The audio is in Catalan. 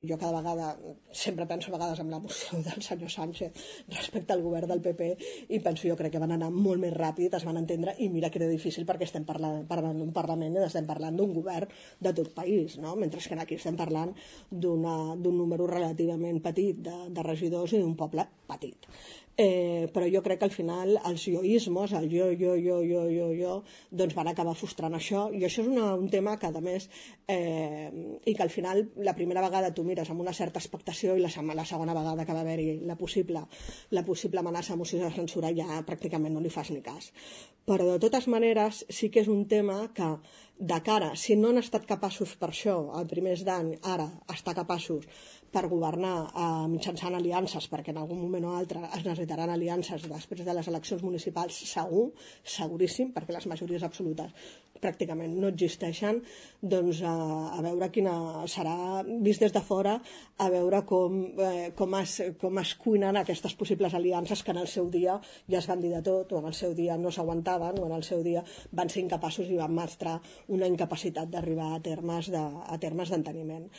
Jo cada vegada, sempre penso a vegades en la moció del senyor Sánchez respecte al govern del PP i penso, jo crec que van anar molt més ràpid, es van entendre, i mira que era difícil perquè estem parlant d'un Parlament i estem parlant d'un govern de tot país, no? Mentre que aquí estem parlant d'un número relativament petit de regidors i d'un poble petit. Però jo crec que al final els joismos, el jo, doncs van acabar frustrant això, i això és un tema que a més i que al final la primera vegada tu mires amb una certa expectació i la segona vegada que va haver-hi la possible amenaça de moció de censura ja pràcticament no li fas ni cas. Però de totes maneres sí que és un tema que de cara, si no han estat capaços per això a primers d'any, ara estar capaços per governar mitjançant aliances, perquè en algun moment o altre es necessitaran aliances després de les eleccions municipals, seguríssim, perquè les majories absolutes pràcticament no existeixen, doncs a veure quina serà, vist des de fora, a veure com es cuinen aquestes possibles aliances que en el seu dia ja es van dir de tot, o en el seu dia no s'aguantaven, o en el seu dia van ser incapaços i van mostrar una incapacitat d'arribar a termes d'enteniment.